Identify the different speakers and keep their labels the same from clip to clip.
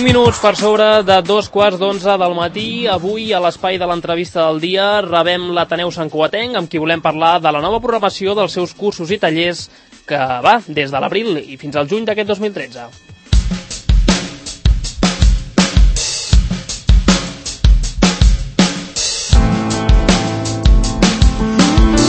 Speaker 1: minuts per sobre de 2:15 del matí. Avui, a l'espai de l'entrevista del dia, rebem l'Ateneu Santcugatenc, amb qui volem parlar de la nova programació dels seus cursos i tallers que va des de l'abril i fins al juny d'aquest 2013.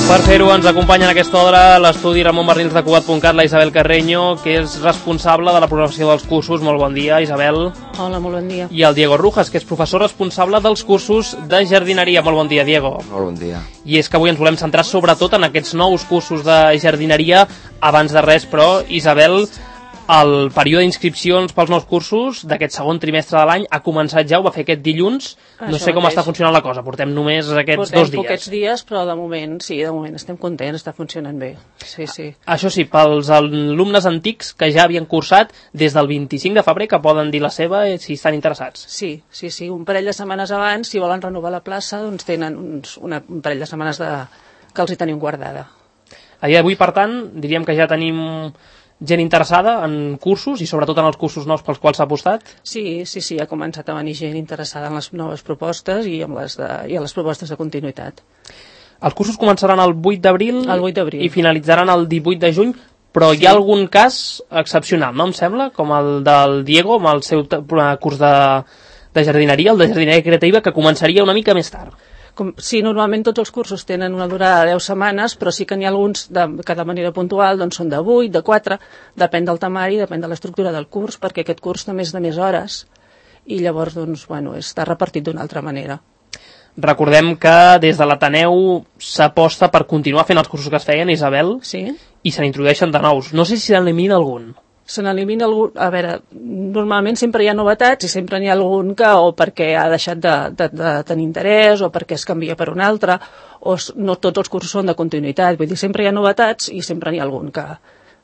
Speaker 1: Per fer-ho ens acompanya en aquesta hora l'estudi Ramon Barnils de Cugat.cat, la Isabel Carreño, que és responsable de la programació dels cursos. Molt bon dia, Isabel.
Speaker 2: Hola, molt bon dia.
Speaker 1: I el Diego Rujas, que és professor responsable dels cursos de jardineria. Molt bon dia, Diego.
Speaker 3: Molt bon dia.
Speaker 1: I és que avui ens volem centrar sobretot en aquests nous cursos de jardineria. Abans de res, però, Isabel, el període d'inscripcions pels nous cursos d'aquest segon trimestre de l'any ha començat ja, ho va fer aquest dilluns. No sé com està funcionant la cosa, portem només aquests 2 dies.
Speaker 2: Portem poquets dies, però de moment estem contents, està funcionant bé. Sí.
Speaker 1: Això sí, pels alumnes antics que ja havien cursat des del 25 de febrer, que poden dir la seva si estan interessats.
Speaker 2: Sí, un parell de setmanes abans, si volen renovar la plaça, doncs tenen un parell de setmanes que els hi tenim guardada.
Speaker 1: A dia d'avui, per tant, diríem que ja tenim gent interessada en cursos i sobretot en els cursos nous pels quals s'ha apostat?
Speaker 2: Sí, ha començat a venir gent interessada en les noves propostes i en les propostes de continuïtat.
Speaker 1: Els cursos començaran el 8 d'abril i finalitzaran el 18 de juny, però hi ha algun cas excepcional, no em sembla? Com el del Diego, amb el seu curs de jardineria, el de jardineria creativa, que començaria una mica més tard.
Speaker 2: Sí, normalment tots els cursos tenen una durada de 10 setmanes, però sí que n'hi ha alguns que de manera puntual doncs són de 8, de 4, depèn del temari, depèn de l'estructura del curs, perquè aquest curs també és de més hores i llavors està repartit d'una altra manera.
Speaker 1: Recordem que des de l'Ateneu s'aposta per continuar fent els cursos que es feien, Isabel,
Speaker 2: sí?
Speaker 1: I se n'introdueixen de nous. No sé si se n'elimina algun.
Speaker 2: Se n'elimina algun... A veure, normalment sempre hi ha novetats i sempre n'hi ha algun que o perquè ha deixat de tenir interès o perquè es canvia per un altre, o no tots els cursos són de continuïtat. Vull dir, sempre hi ha novetats i sempre n'hi ha algun que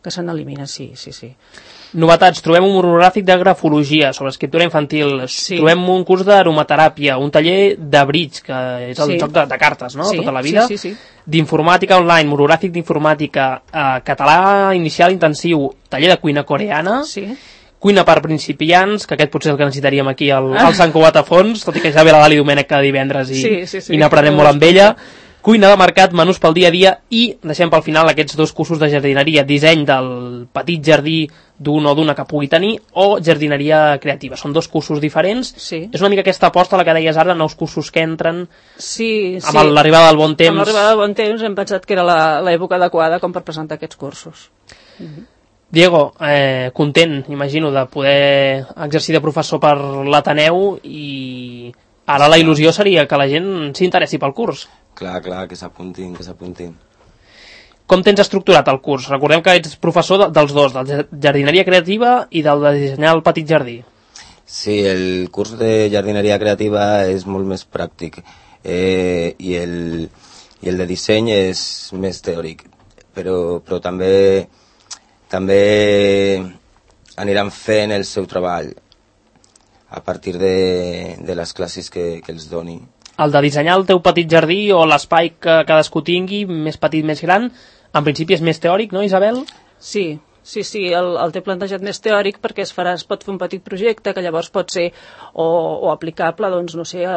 Speaker 2: se n'elimina, sí.
Speaker 1: Novetats, trobem un monogràfic de grafologia sobre escriptura infantil, trobem un curs d'aromateràpia, un taller de bridge, que és el joc de cartes, no?, tota la vida, d'informàtica online, monogràfic d'informàtica, català inicial intensiu, taller de cuina coreana, cuina per principiants, que aquest potser és el que necessitaríem aquí al Sant Cugat a fons, tot i que ja ve la Dali Domènech cada divendres i n'aprenem molt amb ella. Cuina de mercat, menús pel dia a dia i deixem pel final aquests 2 cursos de jardineria, disseny del petit jardí d'un o d'una que pugui tenir o jardineria creativa. Són 2 cursos diferents. És una mica aquesta aposta, la que deies ara, nous cursos que entren amb l'arribada del bon temps.
Speaker 2: Amb l'arribada del bon temps hem pensat que era l'època adequada com per presentar aquests cursos.
Speaker 1: Diego, content, imagino, de poder exercir de professor per l'Ateneu i ara la il·lusió seria que la gent s'interessi pel curs.
Speaker 3: Clar, que s'apuntin.
Speaker 1: Com tens estructurat el curs? Recordem que ets professor dels dos, de jardineria creativa i del de dissenyar el petit jardí.
Speaker 3: Sí, el curs de jardineria creativa és molt més pràctic i el de disseny és més teòric, però també aniran fent el seu treball a partir de les classes que els doni.
Speaker 1: El de dissenyar el teu petit jardí o l'espai que cadascú tingui, més petit, més gran, en principi és més teòric, no, Isabel?
Speaker 2: Sí, el té plantejat més teòric perquè es pot fer un petit projecte que llavors pot ser o aplicable, doncs, no sé,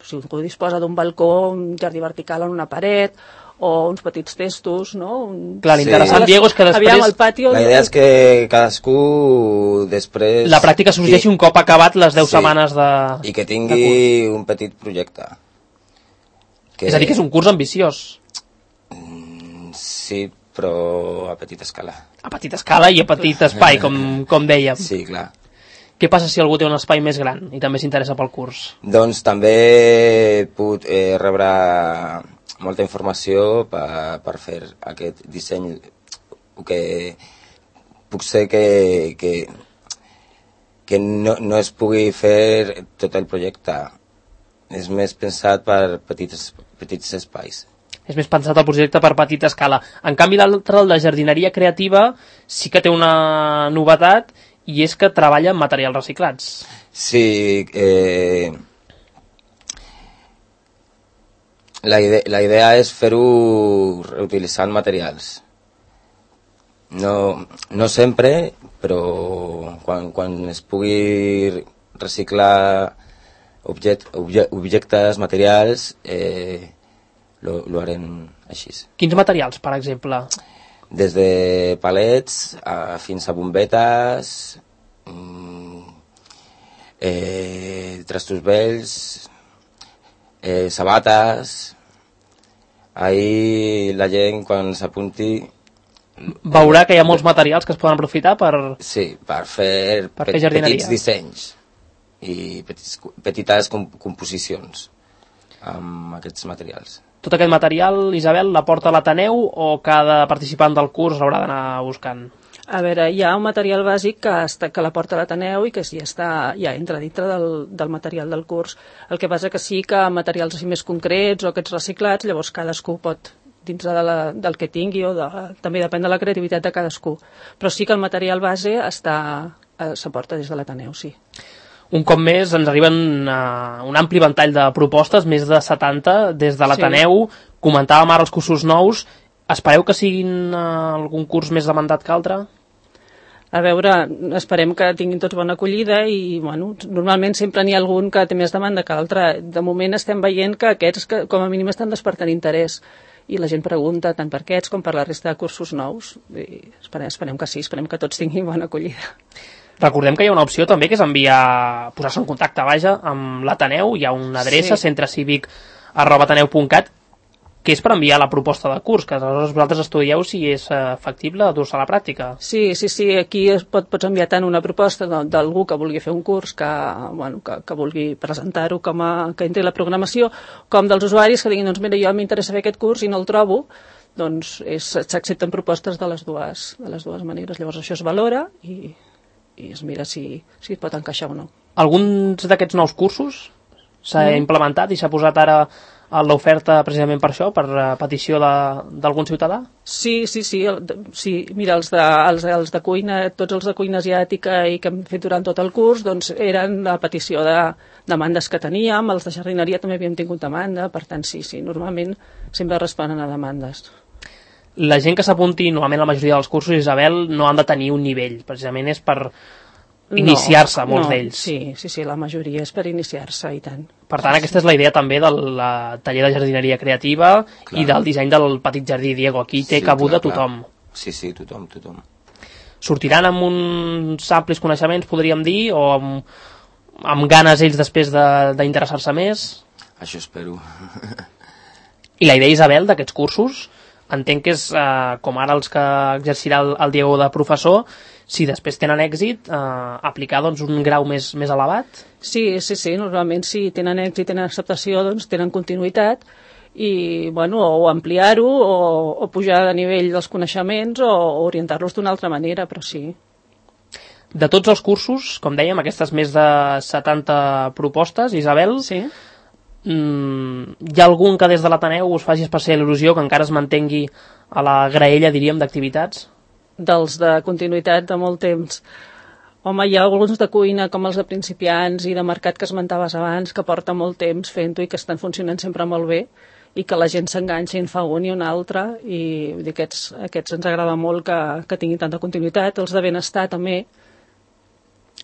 Speaker 2: si algú disposa d'un balcó, un jardí vertical en una paret, o uns petits testos, no?
Speaker 1: Clar, l'interessant, Diego, és que després...
Speaker 2: Aviam, el pati...
Speaker 3: La idea és que cadascú després...
Speaker 1: La pràctica sorgeixi un cop acabat les 10 setmanes de...
Speaker 3: I que tingui un petit projecte.
Speaker 1: És a dir, que és un curs ambiciós.
Speaker 3: Sí, però a petita escala.
Speaker 1: A petita escala i a petit espai, com dèiem.
Speaker 3: Sí, clar.
Speaker 1: Què passa si algú té un espai més gran i també s'interessa pel curs?
Speaker 3: Doncs també puc rebre molta informació per fer aquest disseny, que puc ser que no es pugui fer tot el projecte. És més pensat per petits espais.
Speaker 1: És més pensat el projecte per petita escala. En canvi, l'altre, el de jardineria creativa, sí que té una novetat i és que treballa amb materials reciclats.
Speaker 3: Sí, la idea és fer-ho reutilitzant materials. No sempre, però quan es pugui reciclar objectes, materials, lo harem així.
Speaker 1: Quins materials, per exemple?
Speaker 3: Des de palets fins a bombetes, trastos vells, sabates. Ahir la gent, quan s'apunti,
Speaker 1: veurà que hi ha molts materials que es poden aprofitar per...
Speaker 3: Sí, per fer petits dissenys i petites composicions amb aquests materials.
Speaker 1: Tot aquest material, Isabel, l'aporta l'Ateneu o cada participant del curs haurà d'anar buscant?
Speaker 2: A veure, hi ha un material bàsic que l'aporta l'Ateneu i que ja entra dintre del material del curs. El que passa que sí que materials així més concrets o aquests reciclats, llavors cadascú pot, dintre del que tingui, també depèn de la creativitat de cadascú. Però sí que el material base s'aporta des de l'Ateneu, sí.
Speaker 1: Un cop més ens arriben un ampli ventall de propostes, més de 70 des de l'Ateneu. Sí. Comentàvem ara els cursos nous. Espereu que siguin algun curs més demandat que altre?
Speaker 2: A veure, esperem que tinguin tots bona acollida i, bueno, normalment sempre n'hi ha algun que té més demanda que l'altre. De moment estem veient que aquests, com a mínim, estan despertant interès i la gent pregunta tant per aquests com per la resta de cursos nous. I esperem que sí, esperem que tots tinguin bona acollida.
Speaker 1: Recordem que hi ha una opció també que és posar-se en contacte, amb l'Ateneu. Hi ha una adreça, centrecivic@ateneu.cat, que és per enviar la proposta de curs, que aleshores vosaltres estudieu si és factible dur-se a la pràctica.
Speaker 2: Sí, aquí pots enviar tant una proposta d'algú que vulgui fer un curs, que vulgui presentar-ho que entri a la programació, com dels usuaris que diguin, doncs mira, jo m'interessa fer aquest curs i no el trobo, doncs s'accepten propostes de les dues maneres. Llavors això es valora i es mira si es pot encaixar o no.
Speaker 1: Alguns d'aquests nous cursos s'ha implementat i s'ha posat ara a l'oferta precisament per això, per petició d'algun ciutadà?
Speaker 2: Sí. Mira, els de cuina, tots els de cuina asiàtica i que hem fet durant tot el curs, doncs eren a petició de demandes que teníem. Els de jardineria també havíem tingut demanda, per tant sí, normalment sempre responen a demandes.
Speaker 1: La gent que s'apunti, normalment la majoria dels cursos, Isabel, no han de tenir un nivell, precisament és per iniciar-se, molts d'ells.
Speaker 2: Sí, la majoria és per iniciar-se, i tant.
Speaker 1: Per tant, aquesta és la idea també del taller de jardineria creativa i del disseny del petit jardí, Diego. Aquí té cabuda tothom.
Speaker 3: Sí, tothom.
Speaker 1: Sortiran amb uns amplis coneixements, podríem dir, o amb ganes ells després d'interessar-se més?
Speaker 3: Això espero.
Speaker 1: I la idea, Isabel, d'aquests cursos, entenc que és com ara els que exercirà el Diego de professor, si després tenen èxit, aplicar un grau més elevat?
Speaker 2: Sí, normalment si tenen èxit, tenen acceptació, doncs tenen continuïtat i, o ampliar-ho o pujar de nivell dels coneixements o orientar-los d'una altra manera, però sí.
Speaker 1: De tots els cursos, com dèiem, aquestes més de 70 propostes, Isabel,
Speaker 2: sí.
Speaker 1: Hi ha algun que des de l'Ateneu us faci especial il·lusió que encara es mantengui a la graella, diríem, d'activitats?
Speaker 2: Dels de continuïtat de molt temps. Home, hi ha alguns de cuina com els de principiants i de mercat que esmentaves abans que porta molt temps fent-ho i que estan funcionant sempre molt bé i que la gent s'enganxa i en fa un i un altre i aquests ens agrada molt que tinguin tanta continuïtat. Els de benestar també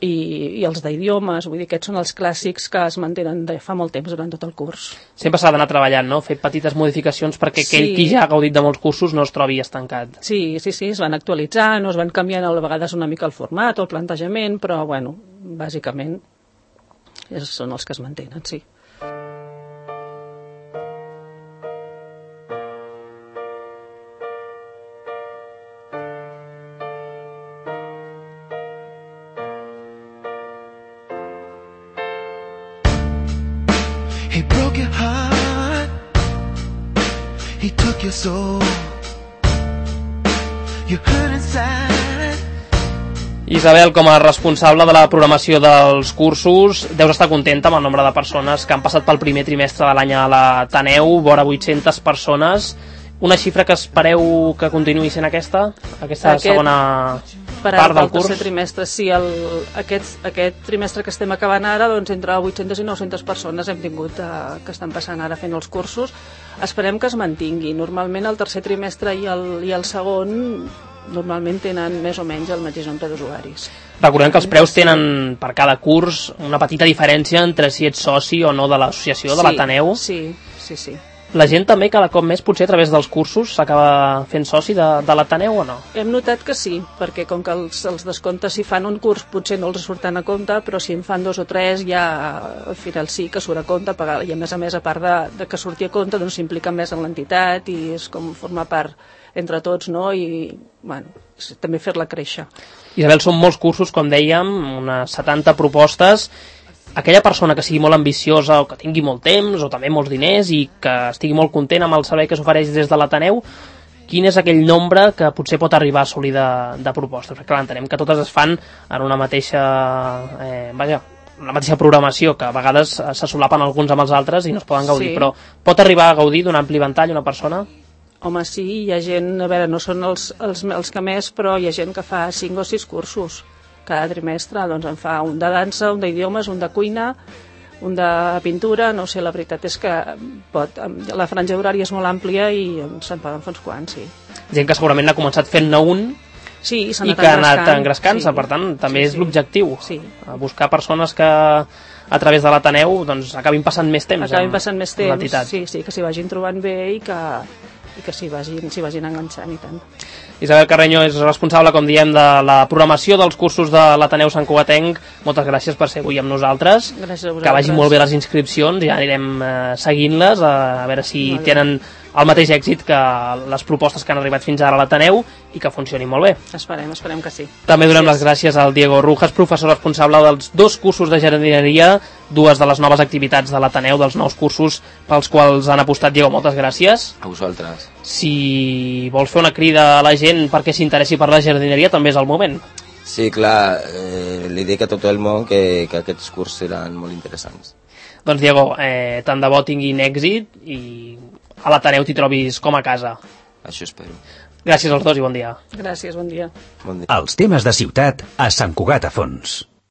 Speaker 2: i els d'idiomes, vull dir, aquests són els clàssics que es mantenen de fa molt temps durant tot el curs.
Speaker 1: Sempre s'ha d'anar treballant, no? Fer petites modificacions perquè aquell qui ja ha gaudit de molts cursos no es trobi estancat.
Speaker 2: Sí, es van actualitzant o es van canviant a vegades una mica el format o el plantejament, però, bàsicament són els que es mantenen, sí.
Speaker 4: He broke your heart, he took your soul, you hurt inside.
Speaker 1: Isabel, com a responsable de la programació dels cursos, deus estar contenta amb el nombre de persones que han passat pel primer trimestre de l'any a l'Ateneu, vora 800 persones. Una xifra que espereu que continuï sent aquesta segona part del curs?
Speaker 2: Tercer trimestre, sí. Aquest trimestre que estem acabant ara, doncs entre 800 i 900 persones hem tingut que estan passant ara fent els cursos. Esperem que es mantingui. Normalment el tercer trimestre i el segon normalment tenen més o menys el mateix nombre d'usuaris.
Speaker 1: Recordem que els preus tenen per cada curs una petita diferència entre si ets soci o no de l'associació, de l'Ateneu.
Speaker 2: Sí.
Speaker 1: La gent també cada cop més, potser a través dels cursos, s'acaba fent soci de l'Ateneu o no?
Speaker 2: Hem notat que sí, perquè com que els descomptes si fan un curs potser no els surten a compte, però si en fan 2 o 3 ja al final sí que surt a compte, i a més, a part de que surti a compte, doncs s'implica més en l'entitat i és com formar part entre tots, no? I bueno, també fer-la créixer.
Speaker 1: Isabel, són molts cursos, com dèiem, unes 70 propostes. Aquella persona que sigui molt ambiciosa o que tingui molt temps o també molts diners i que estigui molt content amb el servei que s'ofereix des de l'Ateneu, quin és aquell nombre que potser pot arribar a assolir de propostes? Perquè clar, entenem que totes es fan en una mateixa una mateixa programació, que a vegades se solapen alguns amb els altres i no es poden gaudir, però pot arribar a gaudir d'un ampli ventall una persona?
Speaker 2: Home, sí, hi ha gent, a veure, no són els que més, però hi ha gent que fa 5 o 6 cursos cada trimestre, doncs en fa un de dansa, un d'idiomes, un de cuina, un de pintura, no sé, la veritat és que la franja horària és molt àmplia i se'n poden fer uns quants, sí.
Speaker 1: Gent que segurament ha començat fent-ne un i que ha anat engrescant-se, per tant, també és l'objectiu, buscar persones que a través de l'Ateneu doncs acabin passant més temps amb l'entitat.
Speaker 2: Sí, que s'hi vagin trobant bé i que s'hi vagin enganxant i tant.
Speaker 1: Isabel Carreño és responsable, com diem, de la programació dels cursos de l'Ateneu Sant Cugatenc. Moltes gràcies per ser avui amb nosaltres.
Speaker 2: Gràcies a vosaltres.
Speaker 1: Que vagin molt bé les inscripcions, ja anirem seguint-les, a veure si tenen el mateix èxit que les propostes que han arribat fins ara a l'Ateneu i que funcionin molt bé.
Speaker 2: Esperem que sí.
Speaker 1: També donem les gràcies al Diego Rujas, professor responsable dels 2 cursos de jardineria, 2 de les noves activitats de l'Ateneu, dels nous cursos pels quals han apostat. Diego, moltes gràcies.
Speaker 3: A vosaltres.
Speaker 1: Si vols fer una crida a la gent perquè s'interessi per la jardineria, també és el moment.
Speaker 3: Sí, clar, li dic a tot el món que aquests cursos seran molt interessants.
Speaker 1: Doncs Diego, tant de bo tinguin èxit i a l'Ateneu t'hi trobis com a casa.
Speaker 3: Això espero.
Speaker 1: Gràcies als dos i bon dia.
Speaker 2: Gràcies, bon dia.
Speaker 3: Bon dia.
Speaker 5: Els temes de ciutat a Sant Cugat a Fons.